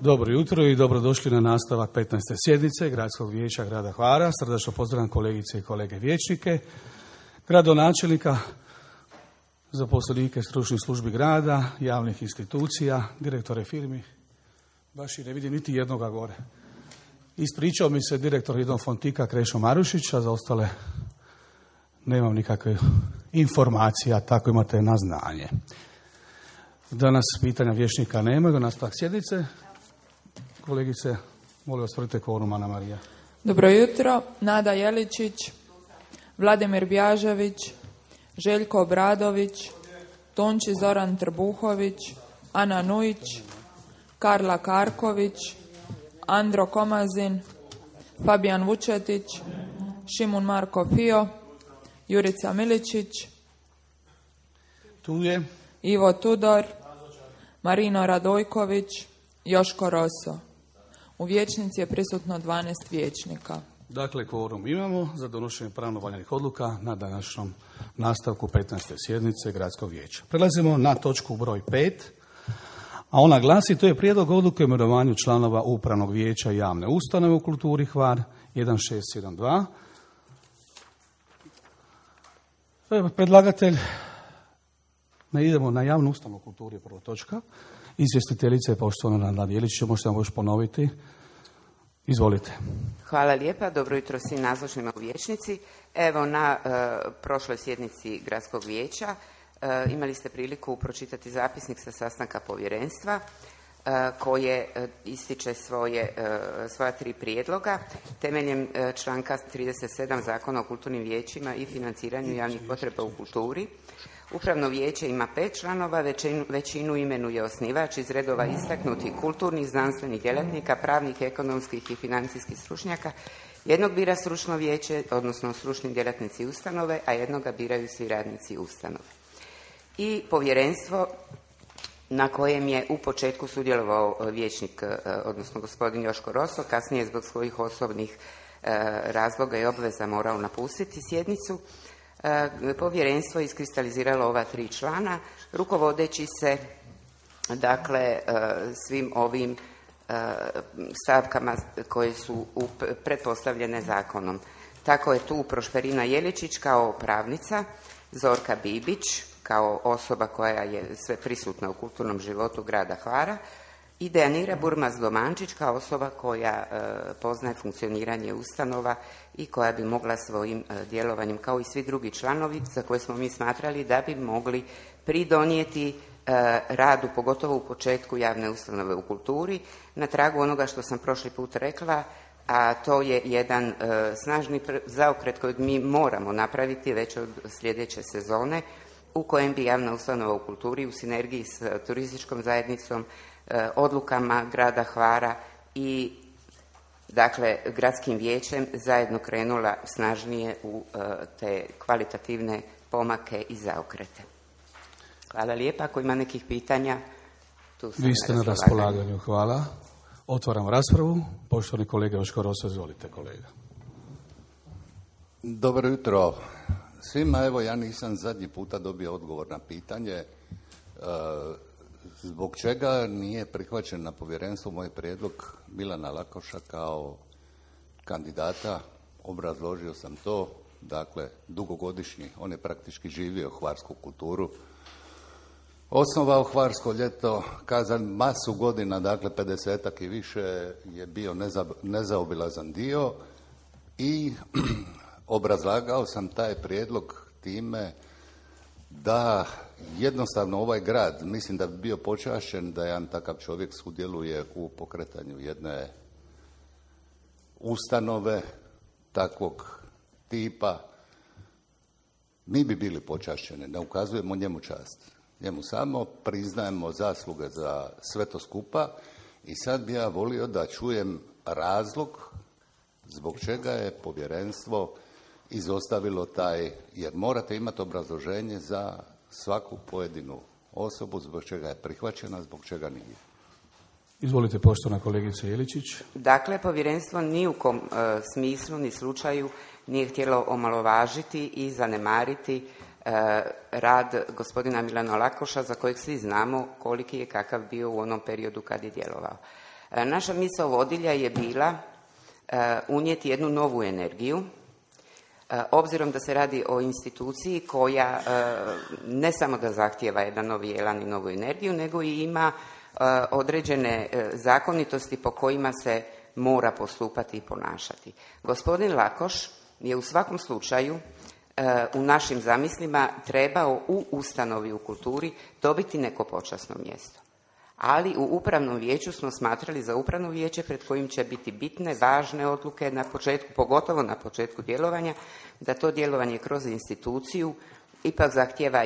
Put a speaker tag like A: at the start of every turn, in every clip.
A: Dobro jutro i dobrodošli na nastavak 15. sjednice Gradskog vijeća grada Hvara. Srdačno pozdravljam kolegice i kolege vijećnike, gradonačelnika, zaposlenike stručnih službi grada, javnih institucija, direktore firmi. Baš i ne vidim niti jednoga gore. Ispričao mi se direktor jednog fontika Krešo Marušić, a za ostale nemam nikakve informacija, tako imate na znanje. Danas pitanja vijećnika nema, do nastavak sjednice. Kolegice, molim vas, tvrdite kvorum, Ana Marija.
B: Dobro jutro. Nada Jeličić, Vladimir Bjažević, Željko Obradović, Tonči Zoran Trbuhović, Ana Nujić, Karla Karković, Andro Komazin, Fabijan Vučetić, Šimun Marko Fio, Jurica Miličić,
A: Tu je.
B: Ivo Tudor, Marino Radojković, Joško Roso. U vijećnici je prisutno 12 vijećnika.
A: Dakle, kvorum imamo za donošenje pravno valjanih odluka na današnjem nastavku 15. sjednice Gradskog vijeća. Prelazimo na točku broj 5, a ona glasi: to je prijedlog odluke o imenovanju članova Upravnog vijeća javne ustanove u kulturi Hvar 1672. Predlagatelj, ne idemo na javnu ustanovu u kulturi, prva točka. Izvjestiteljica je poštovana Nada Jeličić, možete nam još ponoviti. Izvolite.
C: Hvala lijepa, dobro jutro svim nazočnima u vijećnici. Evo, na prošloj sjednici Gradskog vijeća imali ste priliku pročitati zapisnik sa sastanka povjerenstva koje ističe svoja 3 prijedloga temeljem članka 37 Zakona o kulturnim vijećima i financiranju javnih potreba u kulturi. Upravno vijeće ima 5 članova, većinu imenuje osnivač iz redova istaknutih kulturnih, znanstvenih djelatnika, pravnih, ekonomskih i financijskih stručnjaka. Jednog bira stručno vijeće, odnosno stručni djelatnici ustanove, a jednoga biraju svi radnici ustanove. I povjerenstvo na kojem je u početku sudjelovao vijećnik, odnosno gospodin Joško Roso, kasnije zbog svojih osobnih razloga i obveza morao napustiti sjednicu. Povjerenstvo je iskristaliziralo ova 3 člana, rukovodeći se dakle svim ovim stavkama koje su pretpostavljene zakonom. Tako je tu Prošperina Jeličić kao pravnica, Zorka Bibić kao osoba koja je sve prisutna u kulturnom životu grada Hvara i Dejanira Burmaz-Domančić kao osoba koja poznaje funkcioniranje ustanova i koja bi mogla svojim djelovanjem, kao i svi drugi članovi za koje smo mi smatrali da bi mogli pridonijeti radu, pogotovo u početku javne ustanove u kulturi, na tragu onoga što sam prošli put rekla, a to je jedan snažni zaokret kojeg mi moramo napraviti već od sljedeće sezone, u kojem bi javna ustanova u kulturi u sinergiji s turističkom zajednicom, odlukama grada Hvara i dakle gradskim vijećem zajedno krenula snažnije u te kvalitativne pomake i zaokrete. Hvala lijepa. Ako ima nekih pitanja, tu sam.
A: Vi ste na raspolaganju. Hvala. Otvaram raspravu. Poštovani kolega Joško Roso, izvolite kolega.
D: Dobro jutro svima. Evo, ja nisam zadnji puta dobio odgovor na pitanje zbog čega nije prihvaćen na povjerenstvu moj prijedlog Milana Lakoša kao kandidata. Obrazložio sam to, dakle dugogodišnji, on je praktički živio hvarsku kulturu, osnovao Hvarsko ljeto, kazan masu godina, dakle 50-ak i više je bio nezaobilazan dio i obrazlagao sam taj prijedlog time da jednostavno ovaj grad, mislim da bi bio počašćen da jedan takav čovjek sudjeluje u pokretanju jedne ustanove takvog tipa. Mi bi bili počašćeni, ne ukazujemo njemu čast. Njemu samo priznajemo zasluge za sve to skupa i sad bi ja volio da čujem razlog zbog čega je povjerenstvo izostavilo taj, jer morate imati obrazloženje za svaku pojedinu osobu, zbog čega je prihvaćena, zbog čega nije.
A: Izvolite, poštovana kolegica Jeličić.
C: Dakle, povjerenstvo ni u kom smislu ni slučaju nije htjelo omalovažiti i zanemariti rad gospodina Milana Lakoša, za kojeg svi znamo koliki je, kakav bio u onom periodu kad je djelovao. Naša misao vodilja je bila unijeti jednu novu energiju, obzirom da se radi o instituciji koja ne samo da zahtijeva jedan novi elan i novu energiju, nego i ima određene zakonitosti po kojima se mora postupati i ponašati. Gospodin Lakoš je u svakom slučaju u našim zamislima trebao u ustanovi u kulturi dobiti neko počasno mjesto. Ali u upravnom vijeću smo smatrali za upravno vijeće pred kojim će biti bitne, važne odluke na početku, pogotovo na početku djelovanja, da to djelovanje kroz instituciju ipak zahtijeva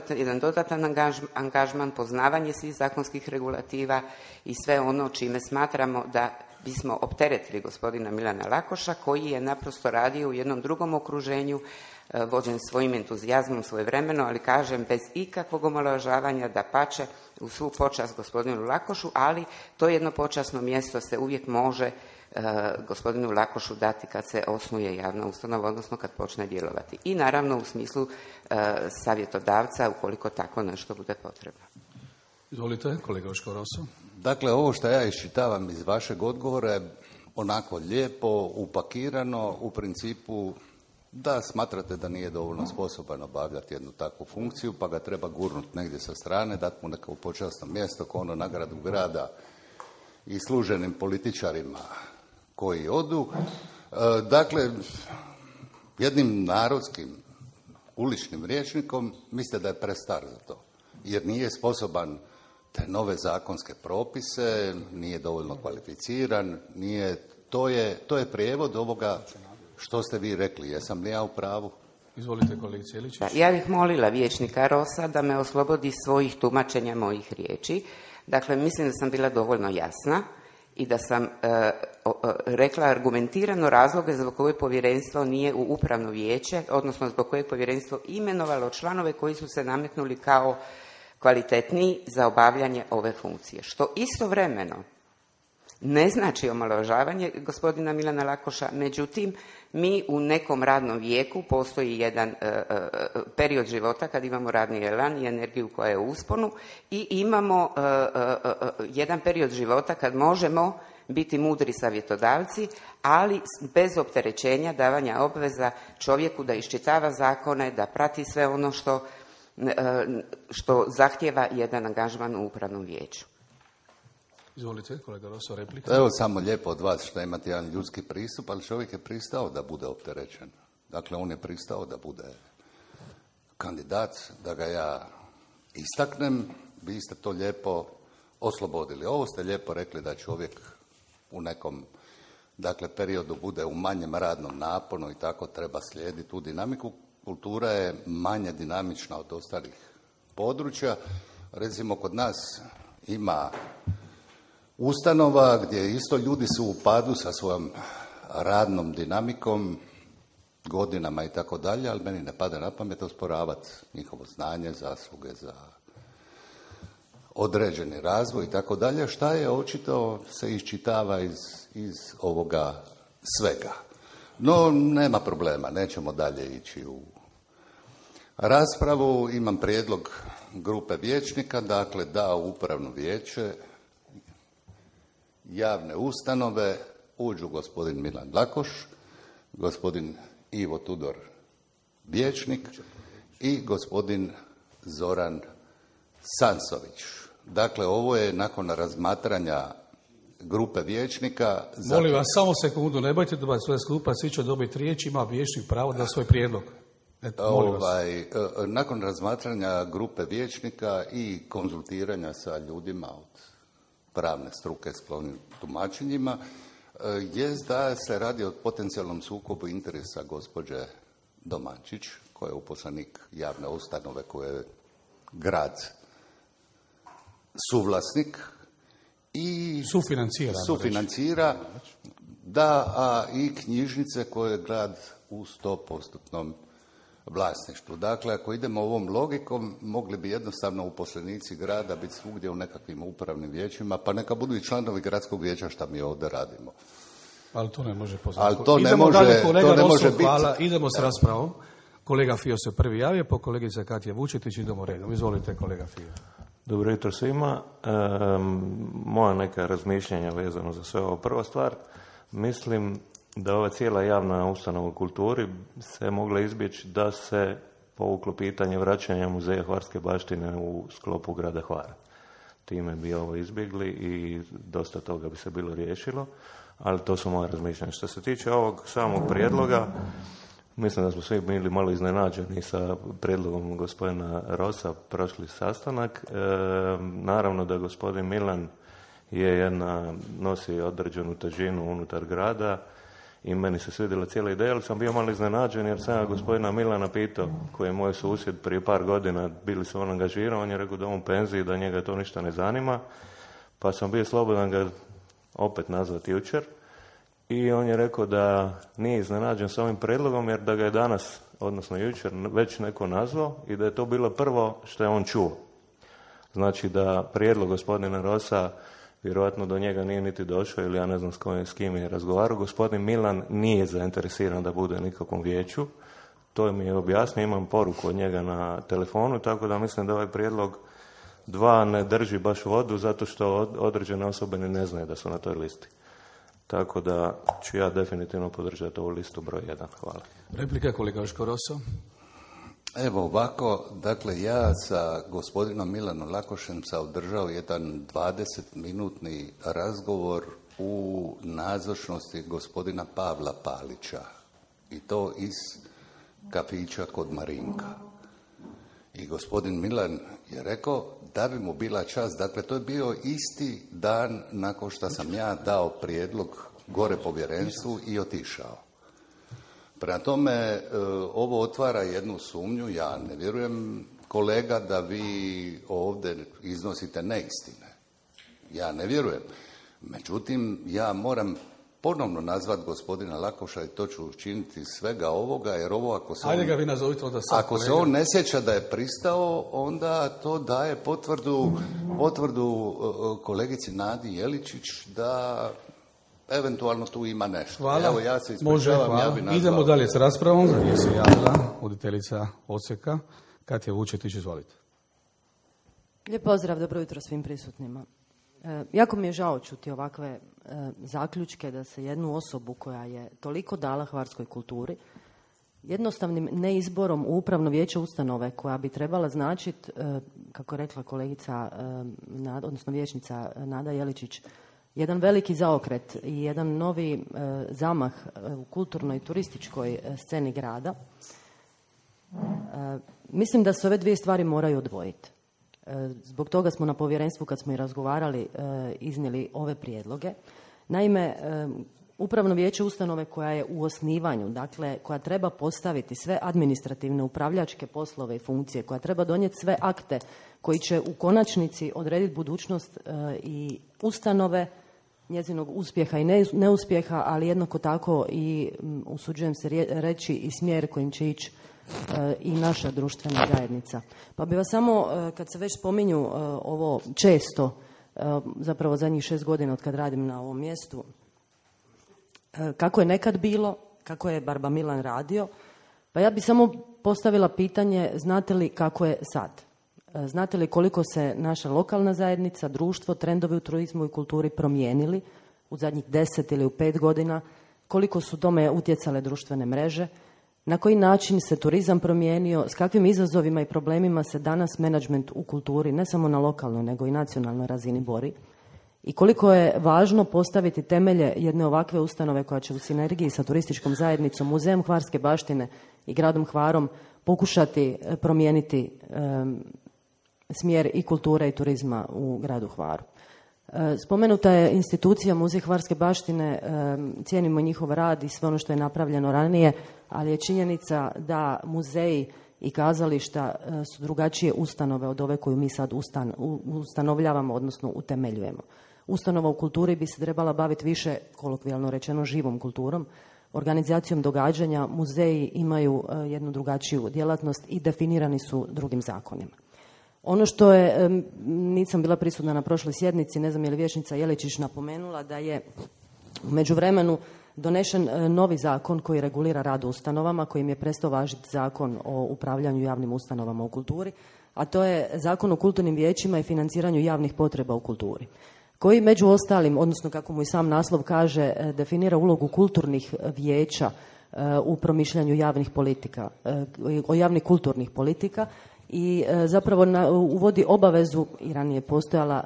C: jedan dodatan angažman, poznavanje svih zakonskih regulativa i sve ono čime smatramo da bismo opteretili gospodina Milana Lakoša, koji je naprosto radio u jednom drugom okruženju, vođen svojim entuzijazmom svojevremeno, ali kažem bez ikakvog omalovažavanja, dapače u svu počast gospodinu Lakošu, ali to jedno počasno mjesto se uvijek može gospodinu Lakošu dati kad se osnuje javna ustanova, odnosno kad počne djelovati. I naravno u smislu savjetodavca, ukoliko tako nešto bude potrebno.
A: Izvolite, kolega Joško Roso.
D: Dakle, ovo što ja iščitavam iz vašeg odgovora je onako lijepo, upakirano, u principu da smatrate da nije dovoljno sposoban obavljati jednu takvu funkciju, pa ga treba gurnuti negdje sa strane, dati mu neko počasno mjesto, kao ono nagradu grada i služenim političarima koji odu. Dakle, jednim narodskim uličnim rječnikom mislite da je prestar za to, jer nije sposoban te nove zakonske propise, nije dovoljno kvalificiran, to je prijevod ovoga što ste vi rekli. Jesam li ja u pravu?
A: Izvolite, kolegice Jeličić.
C: Ja bih molila vijećnika Rosa da me oslobodi svojih tumačenja mojih riječi. Dakle, mislim da sam bila dovoljno jasna i da sam rekla argumentirano razloge zbog koje povjerenstvo nije u upravno vijeće, odnosno zbog kojeg povjerenstvo imenovalo članove koji su se nametnuli kao kvalitetniji za obavljanje ove funkcije. Što istovremeno ne znači omalovažavanje gospodina Milana Lakoša, međutim, mi u nekom radnom vijeku postoji jedan period života kad imamo radni elan i energiju koja je u usponu i imamo jedan period života kad možemo biti mudri savjetodavci, ali bez opterećenja davanja obveza čovjeku da iščitava zakone, da prati sve ono što zahtijeva jedan angažman u upravnom vijeću.
A: Izvolite, kolega Roso, replika.
D: Evo samo lijepo od vas što imate jedan ljudski pristup, ali čovjek je pristao da bude opterećen. Dakle, on je pristao da bude kandidat, da ga ja istaknem. Vi ste to lijepo oslobodili. Ovo ste lijepo rekli da čovjek u nekom periodu bude u manjem radnom naponu i tako treba slijediti tu dinamiku. Kultura je manje dinamična od ostalih područja. Recimo, kod nas ima ustanova gdje isto ljudi su u padu sa svojom radnom dinamikom, godinama i tako dalje, ali meni ne pada na pamet osporavati njihovo znanje, zasluge za određeni razvoj i tako dalje, šta je očito se iščitava iz ovoga svega. No, nema problema, nećemo dalje ići u raspravu. Imam prijedlog grupe vijećnika, dakle da u upravno vijeće javne ustanove uđu gospodin Milan Lakoš, gospodin Ivo Tudor vijećnik i gospodin Zoran Sansović. Dakle, ovo je nakon razmatranja grupe vijećnika.
A: Molim vas, samo sekundu, ne bojte da sve skupa, svi će dobiti riječ, ima vijećnik pravo da svoj prijedlog.
D: Nakon razmatranja grupe vijećnika i konzultiranja sa ljudima od pravne struke sklonim tumačenjima, je da se radi o potencijalnom sukobu interesa gospođe Domančić, koja je uposlenik javne ustanove koje je grad suvlasnik i sufinancira i knjižnice koje je grad u 100% vlasništvu. Dakle, ako idemo ovom logikom, mogli bi jednostavno uposlenici grada biti svugdje u nekakvim upravnim vijećima, pa neka budu i članovi gradskog vijeća šta mi ovdje radimo.
A: Ali to ne može poznati. Idemo dalje, kolega Roso, hvala. Idemo s raspravom. Kolega Fio se prvi javio, po kolegica Katja Vučetić, idemo redom. Izvolite, kolega Fio.
E: Dobro jutro svima. Moja neka razmišljanja vezano za sve ovo. Prva stvar, mislim da ova cijela javna ustanova u kulturi se mogla izbjeći da se povuklo pitanje vraćanja muzeja hvarske baštine u sklopu grada Hvara. Time bi ovo izbjegli i dosta toga bi se bilo riješilo, ali to su moje razmišljanja. Što se tiče ovog samog prijedloga, mislim da smo svi bili malo iznenađeni sa prijedlogom gospodina Rosa prošli sastanak. Naravno da gospodin Milan nosi određenu težinu unutar grada i meni se svidjela cijela ideja, ali sam bio malo iznenađen jer sam ja gospodina Milana pitao, koji je moj susjed prije par godina, bili su on angažirao, on je rekao da on u penziji, da njega to ništa ne zanima, pa sam bio slobodan ga opet nazvati jučer. I on je rekao da nije iznenađen s ovim prijedlogom jer da ga je danas, odnosno jučer, već neko nazvao i da je to bilo prvo što je on čuo. Znači da prijedlog gospodina Rosa vjerojatno do njega nije niti došao ili ja ne znam s kim je razgovarao. Gospodin Milan nije zainteresiran da bude nikakvom vijeću. To mi je objasnio, imam poruku od njega na telefonu, tako da mislim da ovaj prijedlog 2 ne drži baš vodu zato što određene osobe ne znaju da su na toj listi. Tako da ću ja definitivno podržati ovu listu broj 1. Hvala.
A: Replika kolega Joško Roso.
D: Evo ovako, dakle ja sa gospodinom Milanom Lakošem sam održao jedan 20-minutni razgovor u nazočnosti gospodina Pavla Palića i to iz kafića kod Marinka. I gospodin Milan je rekao da bi mu bila čast, dakle to je bio isti dan nakon što sam ja dao prijedlog gore povjerenstvu i otišao. Prema tome, ovo otvara jednu sumnju, ja ne vjerujem kolega da vi ovdje iznosite neistine. Ja ne vjerujem. Međutim, ja moram ponovno nazvat gospodina Lakoša i to ću učiniti svega ovoga, jer ovo ako se
A: Ajde ga vi nazovite onda sad,
D: ako se on ne sjeća da je pristao, onda to daje potvrdu kolegici Nadi Jeličić da eventualno tu ima nešto.
A: Hvala.
D: Evo, ja se ispričavam,
A: Može,
D: ja bi nazvao.
A: Idemo dalje s raspravom. Za nje se javila voditeljica odseka Katja Vučetić, izvolite.
F: Lijep pozdrav, dobro jutro svim prisutnima. Jako mi je žao čuti ovakve zaključke da se jednu osobu koja je toliko dala hvarskoj kulturi jednostavnim neizborom u upravno vijeće ustanove koja bi trebala značiti, kako je rekla kolegica, odnosno vijećnica Nada Jeličić, jedan veliki zaokret i jedan novi zamah u kulturnoj i turističkoj sceni grada. Mislim da se ove dvije stvari moraju odvojiti. Zbog toga smo na povjerenstvu, kad smo i razgovarali, iznijeli ove prijedloge. Naime, upravno vijeće ustanove koja je u osnivanju, dakle koja treba postaviti sve administrativne, upravljačke poslove i funkcije, koja treba donijeti sve akte koji će u konačnici odrediti budućnost i ustanove, njezinog uspjeha i neuspjeha, ali jednako tako i, usuđujem se reći, i smjer kojim će ići i naša društvena zajednica. Pa bi vas samo, kad se već spominju ovo često, zapravo zadnjih 6 godina od kad radim na ovom mjestu, kako je nekad bilo, kako je Barba Milan radio, pa ja bi samo postavila pitanje, znate li kako je sad? Znate li koliko se naša lokalna zajednica, društvo, trendovi u turizmu i kulturi promijenili u zadnjih 10 ili u 5 godina? Koliko su tome utjecale društvene mreže? Na koji način se turizam promijenio? S kakvim izazovima i problemima se danas menadžment u kulturi, ne samo na lokalnoj nego i nacionalnoj razini bori? I koliko je važno postaviti temelje jedne ovakve ustanove koja će u sinergiji sa turističkom zajednicom, Muzejem hvarske baštine i gradom Hvarom pokušati promijeniti smjer i kulture i turizma u gradu Hvaru. Spomenuta je institucija Muzej hvarske baštine, cijenimo njihov rad i sve ono što je napravljeno ranije, ali je činjenica da muzeji i kazališta su drugačije ustanove od ove koju mi sad ustanovljavamo, odnosno utemeljujemo. Ustanova u kulturi bi se trebala baviti više, kolokvijalno rečeno, živom kulturom, organizacijom događanja. Muzeji imaju jednu drugačiju djelatnost i definirani su drugim zakonima. Ono što je, nisam bila prisutna na prošloj sjednici, ne znam je li vijećnica Jeličić napomenula, da je u međuvremenu donešen novi zakon koji regulira rad u ustanovama, kojim je prestao važiti Zakon o upravljanju javnim ustanovama u kulturi. a to je Zakon o kulturnim vijećima i financiranju javnih potreba u kulturi, koji među ostalim, odnosno kako mu i sam naslov kaže, definira ulogu kulturnih vijeća u promišljanju javnih politika, javnih kulturnih politika i zapravo uvodi obavezu, i ranije postojala,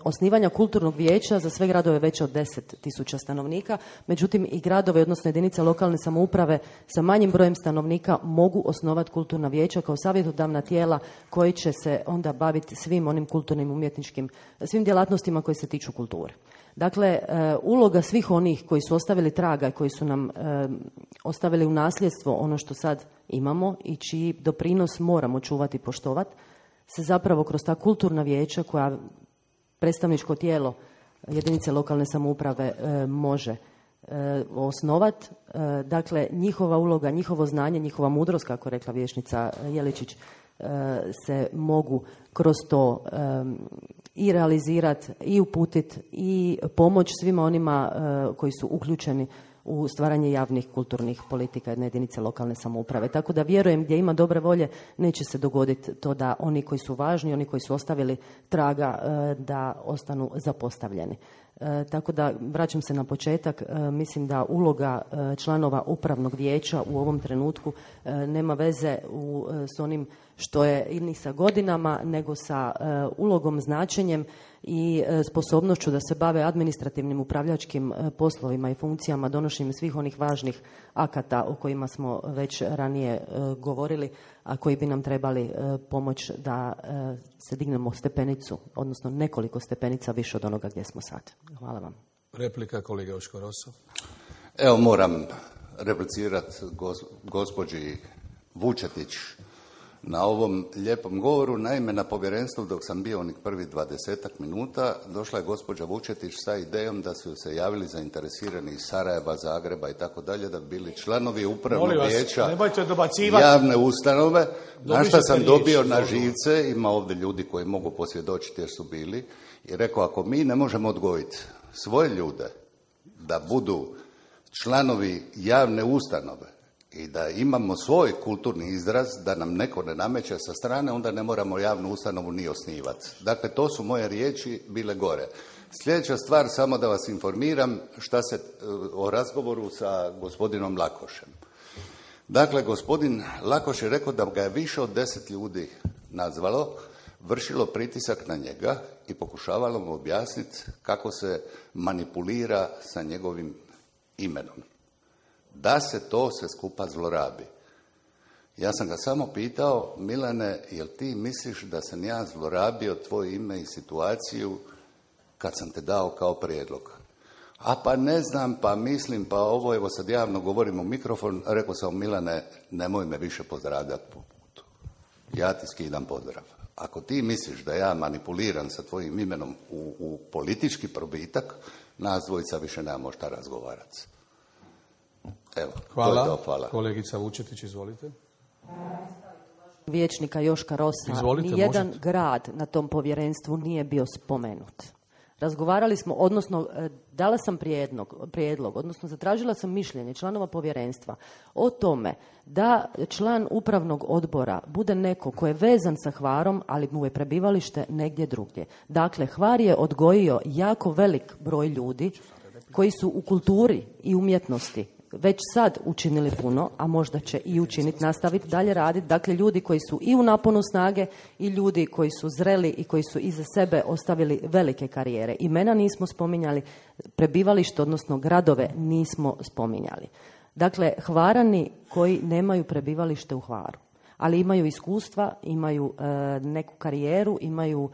F: osnivanja kulturnog vijeća za sve gradove veće od 10.000 stanovnika, međutim i gradovi, odnosno jedinice lokalne samouprave sa manjim brojem stanovnika mogu osnovati kulturna vijeća kao savjetodavna tijela koji će se onda baviti svim onim kulturnim, umjetničkim, svim djelatnostima koje se tiču kulture. Dakle, uloga svih onih koji su ostavili traga i koji su nam ostavili u nasljedstvo ono što sad imamo i čiji doprinos moramo čuvati i poštovati, se zapravo kroz ta kulturna vijeća koja predstavničko tijelo jedinice lokalne samouprave može osnovati. Dakle, njihova uloga, njihovo znanje, njihova mudrost, kako rekla vijećnica Jeličić, se mogu kroz to i realizirati i uputiti i pomoć svima onima koji su uključeni u stvaranje javnih kulturnih politika jedne jedinice lokalne samouprave. Tako da vjerujem, gdje ima dobre volje, neće se dogoditi to da oni koji su važni, oni koji su ostavili traga, da ostanu zapostavljeni. Tako da, vraćam se na početak, mislim da uloga članova upravnog vijeća u ovom trenutku nema veze s onim što je ni sa godinama, nego sa ulogom, značenjem i sposobnošću da se bave administrativnim upravljačkim poslovima i funkcijama, donošenjem svih onih važnih akata o kojima smo već ranije govorili, a koji bi nam trebali pomoć da se dignemo stepenicu, odnosno nekoliko stepenica više od onoga gdje smo sad. Hvala vam.
A: Replika kolega Joško Rosso.
D: Evo, moram replicirati gospođi Vučetić na ovom lijepom govoru. Naime, na povjerenstvu dok sam bio onih prvih 20 minuta, došla je gospođa Vučetić sa idejom da su se javili zainteresirani iz Sarajeva, Zagreba i tako dalje, da bi bili članovi upravnog vijeća javne ustanove, na što sam dobio na živce. Ima ovdje ljudi koji mogu posvjedočiti jer su bili, i rekao, ako mi ne možemo odgojiti svoje ljude da budu članovi javne ustanove i da imamo svoj kulturni izraz, da nam neko ne nameće sa strane, onda ne moramo javnu ustanovu ni osnivati. Dakle, to su moje riječi bile gore. Sljedeća stvar, samo da vas informiram šta se o razgovoru sa gospodinom Lakošem. Dakle, gospodin Lakoš je rekao da ga je više od 10 ljudi nazvalo, vršilo pritisak na njega i pokušavalo mu objasniti kako se manipulira sa njegovim imenom. Da se to sve skupa zlorabi. Ja sam ga samo pitao, Milane, jel ti misliš da sam ja zlorabio tvoje ime i situaciju kad sam te dao kao prijedlog? A pa ne znam, pa mislim, pa ovo, evo sad javno govorim u mikrofon, rekao sam, Milane, nemoj me više pozdravljati po putu. Ja ti skidam pozdrav. Ako ti misliš da ja manipuliram sa tvojim imenom u politički probitak, nas dvojica više nemamo šta razgovarati. Evo,
A: hvala.
D: To, hvala.
A: Kolegica Vučetić, izvolite.
F: Vijećnika Joška Rossa, nijedan grad na tom povjerenstvu nije bio spomenut. Razgovarali smo, odnosno dala sam prijedlog, odnosno zatražila sam mišljenje članova povjerenstva o tome da član upravnog odbora bude neko ko je vezan sa Hvarom, ali mu je prebivalište negdje drugdje. Dakle, Hvar je odgojio jako velik broj ljudi koji su u kulturi i umjetnosti već sad učinili puno, a možda će i učiniti, nastaviti dalje raditi. Dakle, ljudi koji su i u naponu snage i ljudi koji su zreli i koji su iza sebe ostavili velike karijere. Imena nismo spominjali, prebivalište, odnosno gradove nismo spominjali. Dakle, Hvarani koji nemaju prebivalište u Hvaru, ali imaju iskustva, imaju neku karijeru, imaju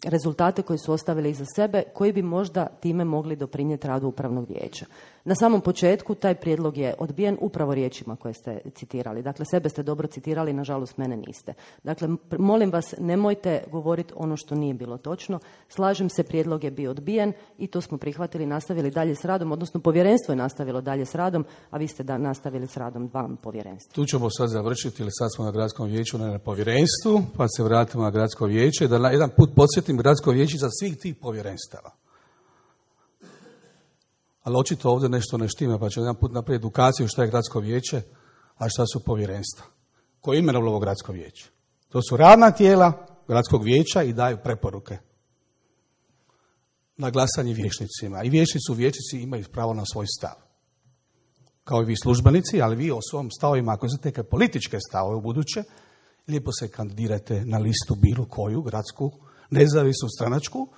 F: rezultate koje su ostavili iza sebe, koji bi možda time mogli doprinijeti radu upravnog vijeća. Na samom početku taj prijedlog je odbijen upravo riječima koje ste citirali. Dakle, sebe ste dobro citirali, nažalost mene niste. Dakle, molim vas, nemojte govoriti ono što nije bilo točno. Slažem se, prijedlog je bio odbijen i to smo prihvatili, nastavili dalje s radom, odnosno povjerenstvo je nastavilo dalje s radom, a vi ste nastavili s radom vam povjerenstva.
A: Tu ćemo sad završiti, ili sad smo na gradskom vijeću, ne na povjerenstvu, pa se vratimo na gradsko vijeće, da jedan put podsjetim gradsko vijeće za svih tih povjerenstava. Ali očito ovdje nešto ne štima, pa ću jedan put napraviti edukaciju šta je gradsko vijeće, a šta su povjerenstva. Koje je imenovalo ovo gradsko vijeće? To su radna tijela gradskog vijeća i daju preporuke na glasanje vijećnicima. I vijećnici imaju pravo na svoj stav. Kao i vi službenici, ali vi o svom stavovima, ako znate neke političke stavove u buduće, lijepo se kandidirate na listu bilo koju, gradsku, nezavisnu, stranačku,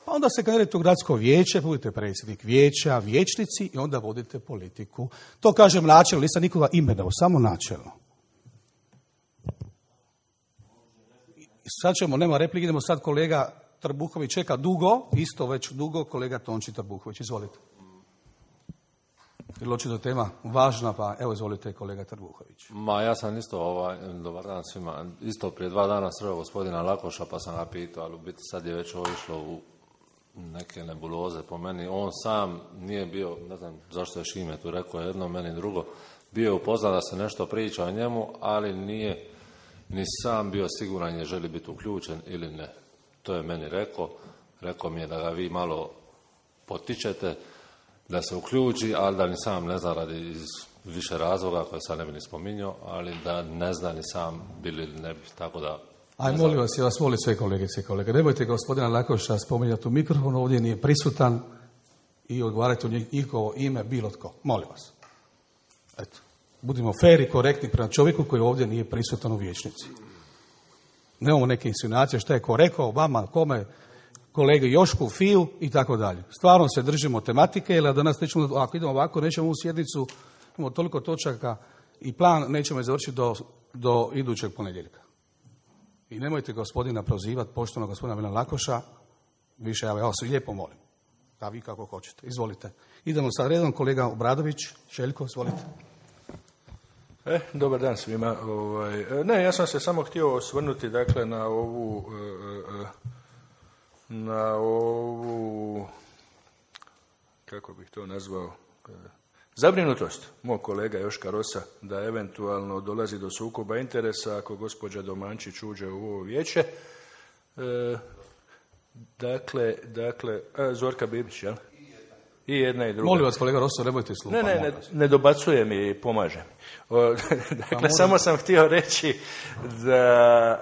A: pa onda se kandidirate u gradsko vijeće, budete predsjednik vijeća, vijećnici i onda vodite politiku. To kažem načelno, nisam nikoga imenovao, samo načelno. Sad ćemo, nema replike, idemo sad kolega Trbuhović čeka dugo, isto već dugo, kolega Tonči Trbuhović, izvolite. Jer očito tema važna, pa evo izvolite kolega Trbuhović.
G: Ja sam isto, dobar dan svima, isto prije 2 dana sreo gospodina Lakoša pa sam ga pitao, ali u biti sad je već ovo išlo u neke nebuloze po meni. On sam nije bio, ne znam zašto je Šime tu rekao jedno, meni drugo, bio je upoznan da se nešto priča o njemu, ali nije ni sam bio siguran je želi biti uključen ili ne. To je meni rekao mi je da ga vi malo potičete da se uključi, ali da ni sam ne zna radi iz više razloga koje sad ne bi ni spominjao, ali da ne zna ni sam bili ili ne bi, tako da...
A: Aj, molim vas, ja vas molim sve kolegice i kolege, nemojte gospodina Lakoša spominjati u mikrofonu, ovdje nije prisutan i odgovarajte u njihovo ime bilo tko. Molim vas. Eto, budimo fair i korektni prema čovjeku koji ovdje nije prisutan u vijećnici. Nemamo neke insinuacije šta je ko rekao vama, kome, kolegi Jošku, Fiju i tako dalje. Stvarno se držimo tematike, jer danas nećemo, ako idemo ovako, nećemo u sjednicu, imamo toliko točaka i plan nećemo je završiti do idućeg ponedjeljka. I nemojte gospodina prozivati, pošteno gospodina Milana Lakoša, više ja vas lijepo molim. Da vi kako hoćete. Izvolite. Idemo sad redom, kolega Obradović, Željko, izvolite.
H: Dobar dan svima. Ne, ja sam se samo htio osvrnuti dakle na ovu kako bih to nazvao, zabrinutost mog kolega Joška Rosa da eventualno dolazi do sukoba interesa ako gospođa Domančić uđe u ovo vijeće. Dakle, Zorka Bibić, jel? I jedna i druga.
A: Molim vas, kolega Rosa, nemojte slupa.
H: Ne dobacuje mi i pomaže mi. Dakle, samo sam htio reći da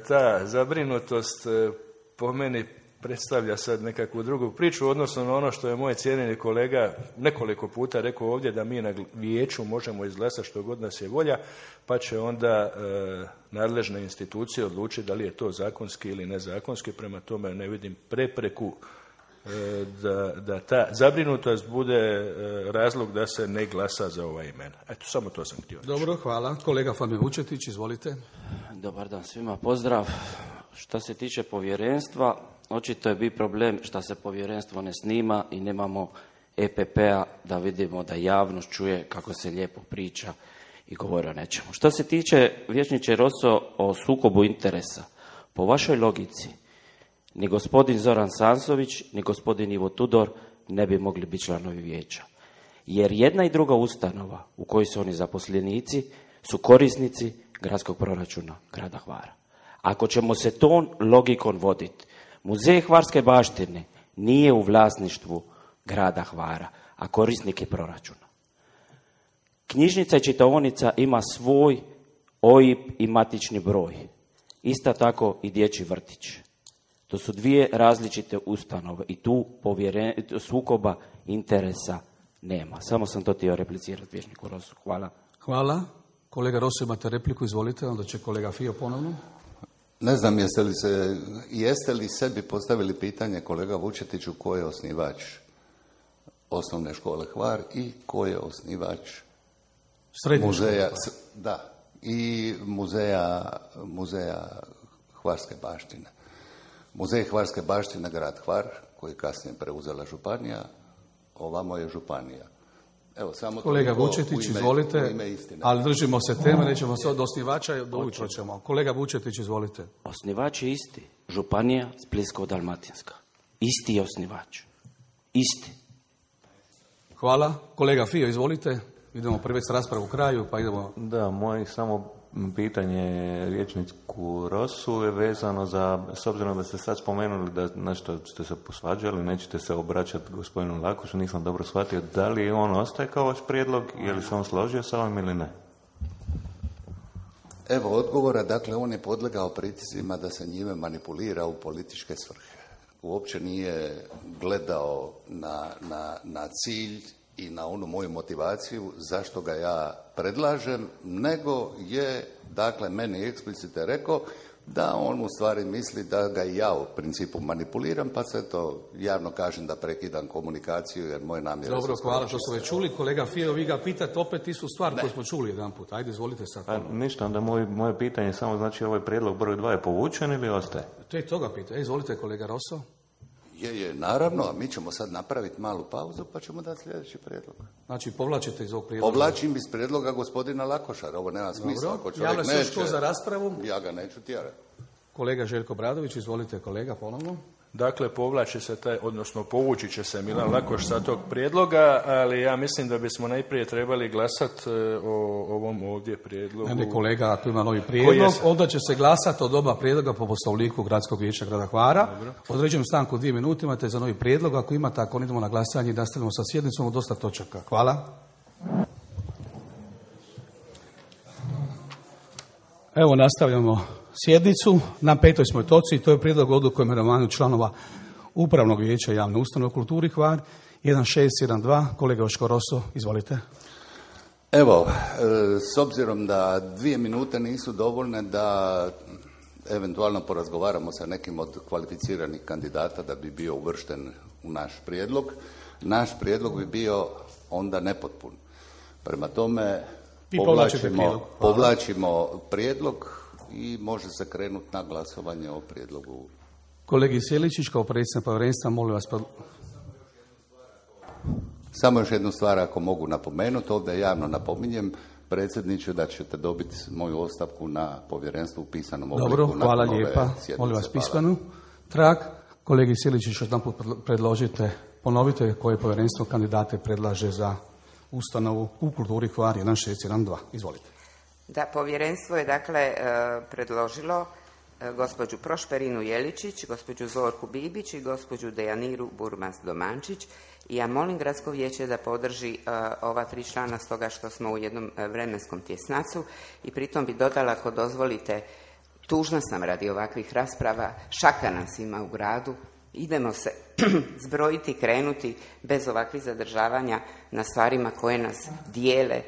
H: ta zabrinutost po meni predstavlja sad nekakvu drugu priču, odnosno na ono što je moj cijenjeni kolega nekoliko puta rekao ovdje, da mi na vijeću možemo izglasati što god nas je volja, pa će onda nadležne institucije odlučiti da li je to zakonski ili nezakonski, prema tome ne vidim prepreku da ta zabrinutost bude razlog da se ne glasa za ova imena. Eto, samo to sam htio reći.
A: Dobro, hvala. Kolega Famio Vučetić, izvolite.
I: Dobar dan svima, pozdrav. Što se tiče povjerenstva, očito je bi problem što se povjerenstvo ne snima i nemamo EPP-a da vidimo da javnost čuje kako se lijepo priča i govori o nečemu. Što se tiče, vijećniče Roso, o sukobu interesa, po vašoj logici, ni gospodin Zoran Sansović, ni gospodin Ivo Tudor ne bi mogli biti članovi vijeća. Jer jedna i druga ustanova u kojoj su oni zaposlenici su korisnici gradskog proračuna grada Hvara. Ako ćemo se tom logikom voditi, Muzej Hvarske baštine nije u vlasništvu grada Hvara, a korisnik je proračuna. Knjižnica i čitaonica ima svoj OIB i matični broj. Isto tako i dječji vrtić. To su dvije različite ustanove i tu sukoba interesa nema. Samo sam to htio replicirati vijećniku Rosu. Hvala.
A: Hvala. Kolega Rosu, imate repliku, izvolite, onda će kolega Fio ponovno.
D: Ne znam jeste li sebi postavili pitanje, kolega Vučetiću, ko je osnivač osnovne škole Hvar i ko je osnivač muzeja, da, i muzeja Hvarske baštine. Muzej Hvarske baštine grad Hvar, koji kasnije preuzela županija, ovamo je županija. Evo, samo
A: kolega Vučetić, izvolite, ali držimo se teme, nećemo se od osnivača, do ujutro ćemo. Kolega Vučetić, izvolite.
I: Osnivač je isti, županija Splitsko-dalmatinska. Isti je osnivač. Isti.
A: Hvala. Kolega Fio, izvolite. Idemo privesti raspravu u kraju, pa idemo...
E: Da, moje samo pitanje vijećniku Rosu je vezano za, s obzirom da ste sad spomenuli da nešto ste se posvađali, nećete se obraćati gospodinu Lakošu, nisam dobro shvatio, da li on ostaje kao vaš prijedlog, je li se on složio sa ovim ili ne?
D: Evo odgovora, dakle on je podlegao pritiscima da se njime manipulira u političke svrhe. Uopće nije gledao na cilj i na onu moju motivaciju zašto ga ja predlažem, nego je, dakle, meni eksplicite rekao da on u stvari misli da ga i ja u principu manipuliram, pa se to javno kažem da prekidam komunikaciju jer moje namjere...
A: Dobro, hvala, to smo već čuli. Kolega Fio, vi ga pitate opet istu stvar koju smo čuli jedan put. Ajde, izvolite sad.
E: Ništa, onda moje pitanje samo znači ovaj prijedlog broj 2 je povučen ili ostaje?
A: To je toga pitanje. Izvolite, kolega Rosso.
D: Je, naravno, a mi ćemo sad napraviti malu pauzu pa ćemo dati sljedeći prijedlog.
A: Znači, povlačite iz ovog prijedloga?
D: Povlačim iz prijedloga gospodina Lakošara, ovo nema smisla. Ako čovjek
A: neće, još to za raspravu?
D: Ja ga neću tjerati.
A: Kolega Željko Bradović, izvolite kolega, ponovno.
H: Dakle, povlači se odnosno povući će se Milan Lakoš sa tog prijedloga, ali ja mislim da bismo najprije trebali glasati o ovom ovdje prijedlogu.
A: Ne, kolega, ako ima novi prijedlog, onda će se glasati od oba prijedloga po Poslovniku Gradskog vijeća grada Hvara. Određujem stanku 2 minute, imate za novi prijedlog. Ako imate, ako idemo na glasanje i nastavimo sa sjednicom, dosta točaka. Hvala. Evo, nastavljamo sjednicu. Na 5. smo točci, to je prijedlog odluke o imenovanju članova Upravnog vijeća javne ustanove u kulturi Hvar. 1612, kolega Joško Rosso, izvolite.
D: Evo, s obzirom da 2 minute nisu dovoljne da eventualno porazgovaramo sa nekim od kvalificiranih kandidata da bi bio uvršten u naš prijedlog, naš prijedlog bi bio onda nepotpun. Prema tome, povlačimo prijedlog i može se krenuti na glasovanje o prijedlogu.
A: Kolegi Sjeličić, kao predsjednik povjerenstva, molim vas...
D: Samo još jednu stvar ako mogu napomenuti, ovdje javno napominjem predsjedniče da ćete dobiti moju ostavku na povjerenstvu u pisanom obliku.
A: Dobro, hvala lijepa. Molim vas pismenu. Trag, kolegi Sjeličić, još jedanput predložite, ponovite koje povjerenstvo kandidate predlaže za ustanovu u kulturi Hvar 1612. Izvolite.
C: Da, povjerenstvo je dakle predložilo gospođu Prošperinu Jeličić, gospođu Zorku Bibić i gospođu Dejaniru Burmas-Domančić. I ja molim Gradsko vijeće da podrži ova 3 člana stoga što smo u jednom vremenskom tjesnacu i pritom bi dodala, ako dozvolite, tužna sam radi ovakvih rasprava, šaka nas ima u gradu, idemo se zbrojiti, krenuti bez ovakvih zadržavanja na stvarima koje nas dijele,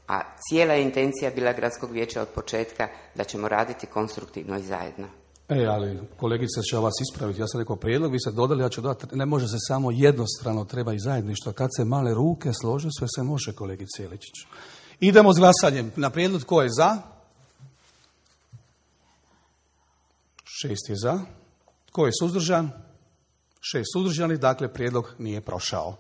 C: a cijela intencija bila Gradskog vijeća od početka da ćemo raditi konstruktivno i zajedno.
A: Ali kolegica će vas ispraviti. Ja sam rekao prijedlog, vi ste dodali, ja ću dodati, ne može se samo jednostrano, treba i zajedništvo. Kad se male ruke slože, sve se može, kolegice Jeličić. Idemo s glasanjem. Na prijedlog tko je za? 6 je za. Tko je suzdržan? 6 suzdržanih, dakle prijedlog nije prošao.